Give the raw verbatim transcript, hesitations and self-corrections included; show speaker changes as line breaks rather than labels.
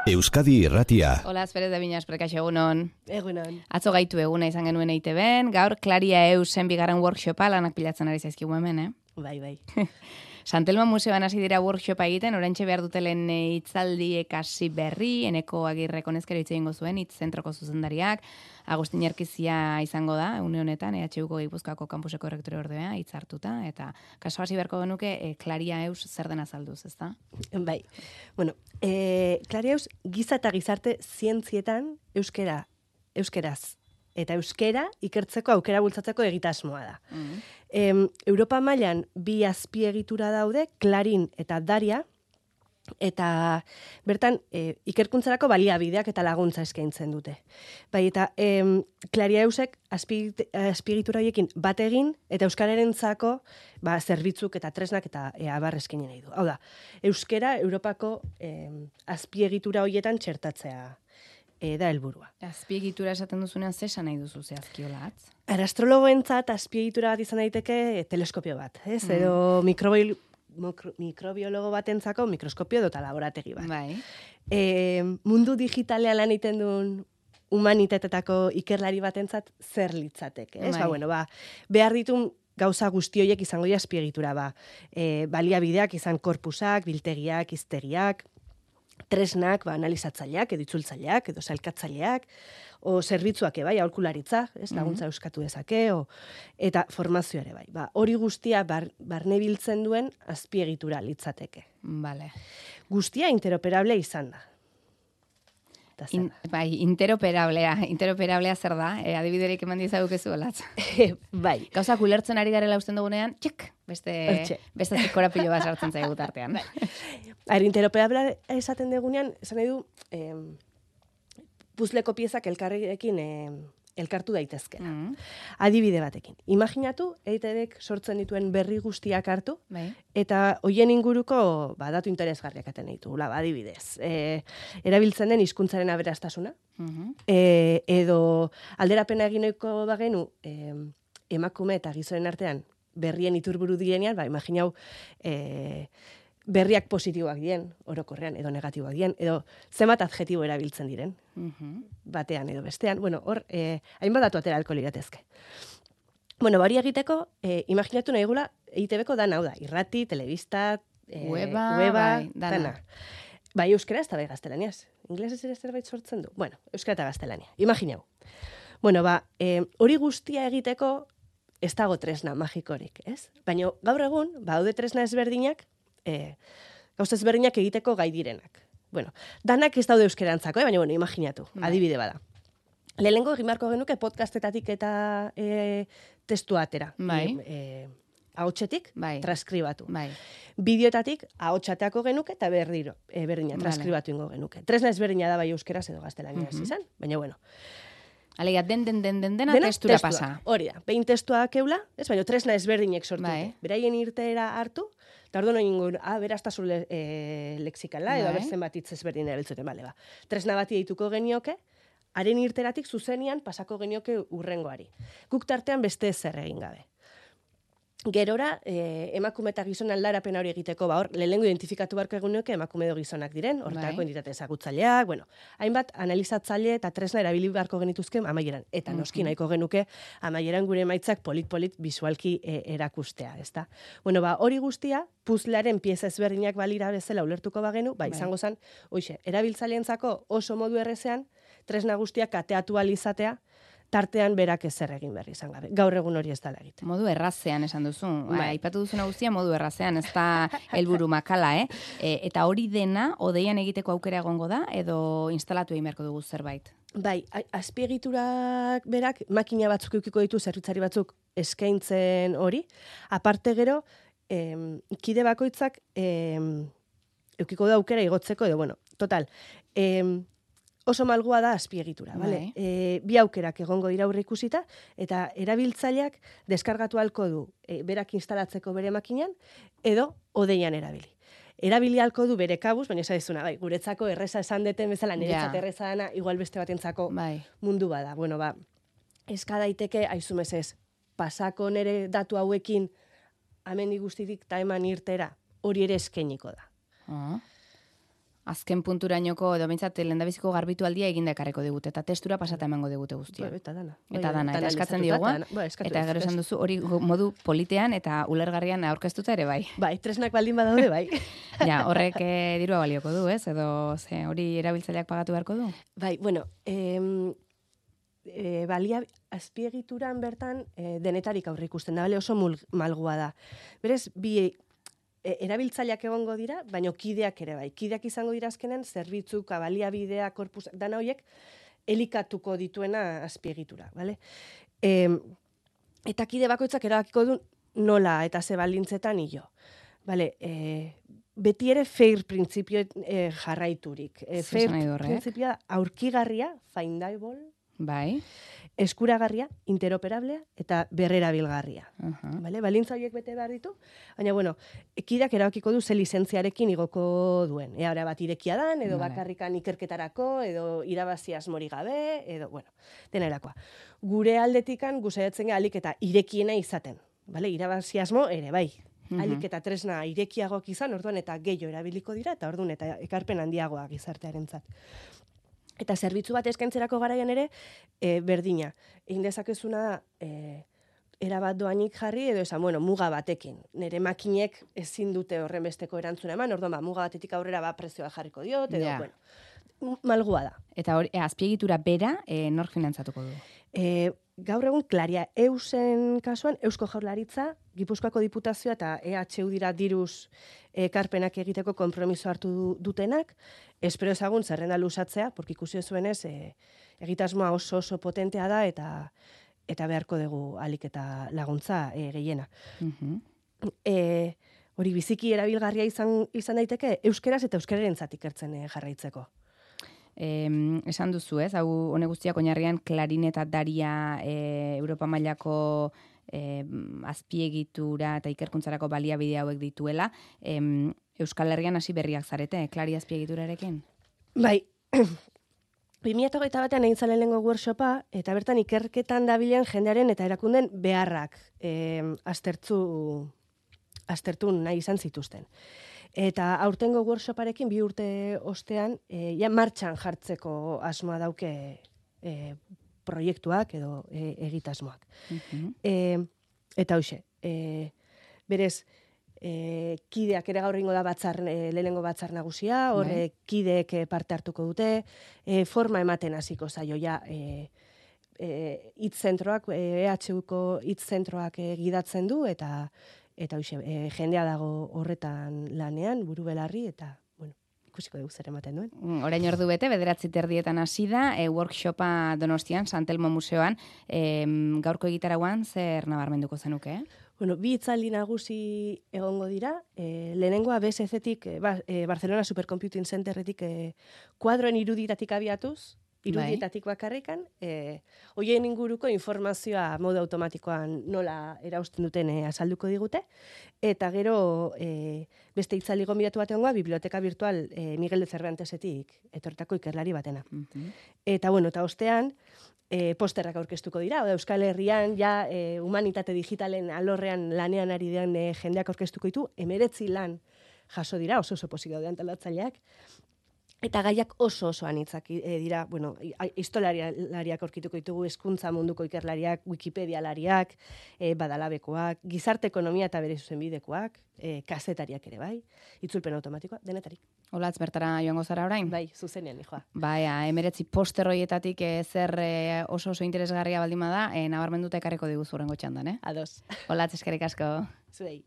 Euskadi Irratia.
Hola, Pérez de Viñas, prekaixo egunon.
Egunon.
Atzo gaitu eguna izan genuen E I T Bn, gaur Klaria Eusen bigarren workshopa lanak pilatzen ari zaizkigu hemen, eh?
Bai, bai.
Santelmo Museoan hasi dira workshopa egiten, oraintxe behar dutelen hitzaldiek hasi berri, Eneko Agirrek honezkero hitz egingo zuen, hitz zentroko zuzendariak, Agustin Erkizia izango da, une honetan, E H Uko Gipuzkoako kampuseko rektore ordea, hitz hartuta, eta kaso hasi beharko genuke, e, Klaria Eus zer dena azalduz, ezta?
Bai. Bueno, e, Klaria Eus giza eta gizarte zientzietan euskera, euskeraz eta euskera ikertzeko aukera bultzatzeko egitasmoa da. Mm. Em, Europa mailan bi azpiegitura daude, Klarin eta Daria, eta bertan e, ikerkuntzarako baliabideak eta laguntza eskaintzen dute. Bai, eta em, Klaria Eusek azpiegitura horiekin bat egin eta euskararentzako ba, zerbitzuk eta tresnak eta e, abar eskaini nahi du. Hau da, euskera Europako em, azpiegitura horietan txertatzea E, da helburua.
Azpiegitura esaten duzunean zesan nahi duzu zehazki olatz?
Astrologoentzat azpiegitura bat izan daiteke e, teleskopio bat, ez? Mm. Edo mikrobi, mikro, mikrobiologo batentzako mikroskopio edo laborategi bat.
Bai.
E, mundu digitalean lan egiten duen humanitatetako ikerlari batentzat zer litzateke, ez?
Bai.
Ba, bueno, ba, behar ditun gauza guzti horiek izango dira azpiegitura, ba. E, baliabideak izan korpusak, biltegiak, hiztegiak, tresnak, ba, analizatzaileak, edo itzultzaileak, edo sailkatzaileak, o zerbitzuak bai, aholkularitza, ez, laguntza euskatu dezake, o, eta formazioa ere bai. Ba, hori guztia bar, barne biltzen duen azpiegitura litzateke.
Vale.
Guztia interoperable izan da.
In, bai, interoperablea. Interoperablea zer da? E, adibiderik eman dizagukezu olatz.
Bai.
Gauzak ulertzen ari garela usten dugunean, txek, beste, beste korapilo bat sartzen zaigu tartean.
Bai. Interoperablea esaten dugunean, esan nahi du, eh, puzleko piezak elkarrekin eh, elkartu daitezkena. Mm. Adibide batekin. Imaginatu, E I T Bk sortzen dituen berri guztiak hartu, bai. Eta hoien inguruko ba, datu interesgarriak aten ditu. Ba, adibidez, e, erabiltzen den hizkuntzaren aberastasuna, mm-hmm. e, edo alderapena eginoiko bagenu e, emakume eta gizonen artean berrien iturburu dienean, ba, imaginau, e, berriak positiboak dien, orokorrean, edo negatiboak dien, edo zenbat adjetibo erabiltzen diren, mm-hmm. batean edo bestean. Bueno, hor, eh, hainbat datu atera alko liratezke. Bueno, bari egiteko, eh, imaginatu nahi gula, E I T Bko dan hau da, irrati, telebista, eh,
weba,
weba
bai, dana.
dana. Bai, euskera ez da bai gaztelaniaz. Inglesez ere zerbait sortzen du. Bueno, euskera eta gaztelania. Imaginau. Bueno, ba, eh, hori guztia egiteko ez dago tresna magikorik, ez? Baina gaur egun, ba, haude tresna ezberdinak, E, gauz ezberdinak egiteko gai direnak. Bueno, danak ez daude euskerantzako, eh? Baina, bueno, imaginatu, bai. Adibide bada. Lehenengo egin beharko genuke podcastetatik eta e, testua atera.
Bai.
E, ahotsetik,
bai.
Transkribatu.
Bai.
Bideotatik ahotsateako genuke eta berdiro, e, berdina, transkribatu ingo genuke. Tresna ezberdina da bai euskeraz edo gaztelaniaz mm-hmm. izan, baina, bueno.
Alegia, den, den, den, den, dena, dena testura testua. Pasa.
Hori da, behin testua keula, ez, baina tresna ezberdinek sortu. Bai. Beraien irteera hartu, eta orduan oin ah, beraztasun le, e, lexikala, edo abertzen bat hitz ezberdin erabiltzuten, bale, ba. Tresna bati dituko genioke, haren irteratik zuzenian pasako genioke urrengoari. Guk tartean beste zer egin gabe. Gerora, eh, emakume eta gizon aldarapen hori egiteko, ba hor, lehenengo identifikatu beharko eguneoke emakume edo gizonak diren, horretako bai. Entitate ezagutzaileak, bueno, hainbat analizatzaile eta tresna erabili beharko genituzke amaieran. Eta noski nahiko genuke amaieran gure emaitzak polit-polit bisualki e, erakustea, ezta? Bueno, ba, hori guztia, puzlearen pieza ezberdinak balira bezala ulertuko bagenu, ba, izango zen, hoixe, erabiltzaileentzako oso modu errezean, tresna guztiak kateatu alizatea, tartean berak ezer egin behar izan gabe. Gaur egun hori ez dela egiten.
Modu errazean esan duzu. Bai. Aipatu duzuna guztia modu errazean, ez da helburu makala, eh? E, eta hori dena, odeian egiteko aukera egongo da, edo instalatu egin beharko dugu zerbait?
Bai, azpiegiturak berak, makina batzuk eukiko ditu, zerbitzari batzuk eskaintzen hori. Aparte gero, em, kide bakoitzak em, eukiko da aukera igotzeko, edo, bueno, total, em, oso malgua da azpiegitura, bale? E, bi aukerak egongo dira aurre ikusita, eta erabiltzaileak deskargatu halko du e, berak instalatzeko bere makinan, edo odeian erabili. Erabili halko du bere kabuz, baina esan dizuna, bai, guretzako erreza esan deten bezala, niretzat erreza dana, igual beste batentzako bai. Mundu bada. Bueno, ba, eska daiteke, aizumezez, pasako nere datu hauekin, amendi guztitik ta eman irtera, hori ere eskeniko da.
Ah. azken punturainoko edo behintzat lehendabiziko garbitu aldia eginda ekarriko digute, eta testura pasata emango digute guztia.
Eta dana.
Eta dana, eta eskatzen diogu, eta gero esan duzu hori modu politean eta ulergarrian aurkeztuta ere bai.
Bai, tresnak baldin badaude bai.
Ja, horrek eh, dirua balioko du, ez? Edo ze, hori erabiltzaileak pagatu beharko du?
Bai, bueno, em, e, balia azpiegituran bertan e, denetarik aurre ikusten da, bale, oso mul, malgua da. Berez, bi erabiltzaileak egongo dira, baino kideak ere bai. Kideak izango dira azkenen, zerbitzuk, baliabidea, korpus, dana horiek, elikatuko dituena azpiegitura, bale? E, eta kide bakoitzak erabakiko du nola eta ze baldintzetan hilo. Bale, e, beti ere fair printzipio e, jarraiturik. E, fair printzipioa aurkigarria, findable,
bai,
eskuragarria, interoperablea eta berrerabilgarria.
Uh-huh.
Vale? Balintza horiek bete behar ditu, baina bueno, ekidak erabakiko du ze lizentziarekin igoko duen. Eara bat irekia dan, edo vale. Bakarrikan ikerketarako, edo irabazi asmori gabe, edo, bueno, dena erakoa. Gure aldetikan guzaiatzen gara alik eta irekiena izaten. Vale? Irabazi asmo ere bai. Uh-huh. Alik eta tresna irekiagoak izan, orduan eta gehiago erabiliko dira, eta orduan eta ekarpen handiagoak gizartearentzat. Eta zerbitzu bat eskaintzerako garaian ere, e, berdina. Egin dezakezuna da, e, erabat doanik jarri, edo esan, bueno, muga batekin. Nere makinek ezin dute horren besteko erantzuna eman, orduan, ba, muga batetik aurrera ba prezioa jarriko diot, edo, yeah. bueno, malgua da.
Eta hori, e, azpiegitura bera, e, nork finantzatuko du?
E, gaur egun, Klaria, Eusen kasuan, Eusko Jaurlaritza, Gipuzkoako Diputazioa eta E H U dira diruz ekarpenak egiteko konpromiso hartu dutenak, espero ezagun zerrenda lusatzea, porque ikusi zuenez, e, egitasmoa oso oso potentea da, eta eta beharko dugu alik eta laguntza e, gehiena.
Uh-huh.
e, hori biziki erabilgarria izan, izan daiteke, euskeraz eta euskararentzat ikertzen e, jarraitzeko.
Eh, esan duzu, ez? Hau hone guztiak oinarrian klarineta daria e, Europa mailako e, azpiegitura eta ikerkuntzarako baliabide hauek dituela. E, Euskal Herrian hasi berriak zarete, klari azpiegiturarekin?
Bai, bi mila hogeita batean egin zalen lehengo workshopa, eta bertan ikerketan dabilen jendearen eta erakunden beharrak e, aztertzu, aztertu nahi izan zituzten. Eta aurtengo workshoparekin bi urte ostean, e, ja martxan jartzeko asmoa dauke e, proiektuak edo e, egitasmoak. Uh-huh. E, eta hoxe, e, berez, e, kideak ere gaur ingo da batzar, e, lehenengo batzar nagusia, horre right. Kideek parte hartuko dute, e, forma ematen hasiko zaio ja, e, e, hitz-zentroak, E H Uko hitz-zentroak e, gidatzen du, eta Eta hoxe, e, jendea dago horretan lanean, buru belarri, eta, bueno, ikusiko dugu zer ematen duen.
Orain ordu bete, bederatzi terdietan hasi da, e, workshopa Donostian, Santelmo Museoan, e, gaurko egitarauan zer nabarmenduko zenuke, eh?
Bueno, bi hitzaldi nagusi egongo dira, e, lehenengoa B S C-tik, e, ba, e, Barcelona Supercomputing Centerretik, e, kuadroen iruditatik abiatuz, irudietatik bakarrikan, e, hoien inguruko informazioa modu automatikoan nola erausten duten e, azalduko digute, eta gero e, beste itzali gonbidatu bat egongoa, biblioteka virtual e, Miguel de Cervantesetik etortako ikerlari batena. Uh-huh. Eta bueno, eta ostean, e, posterrak aurkeztuko dira, oda Euskal Herrian ja e, humanitate digitalen alorrean lanean ari den e, jendeak aurkeztuko ditu, emeretzi lan jaso dira, oso oso pozik daude antolatzaileak, eta gaiak oso oso anitzak e, dira, bueno, historialariak aurkituko ditugu, hezkuntza munduko ikerlariak, Wikipedialariak, e, badalabekoak, gizarte ekonomia eta bere zuzenbidekoak, e, kazetariak ere bai, itzulpen automatikoa, denetarik.
Olatz, bertara joango zara orain?
Bai, zuzenean, hijoa.
Bai, emeretzi poster hoietatik e, zer e, oso oso interesgarria baldin bada, e, nabarmenduta ekarriko diguzu horrengo txandan, eh?
Ados.
Olatz, eskerrik asko.
Zuei.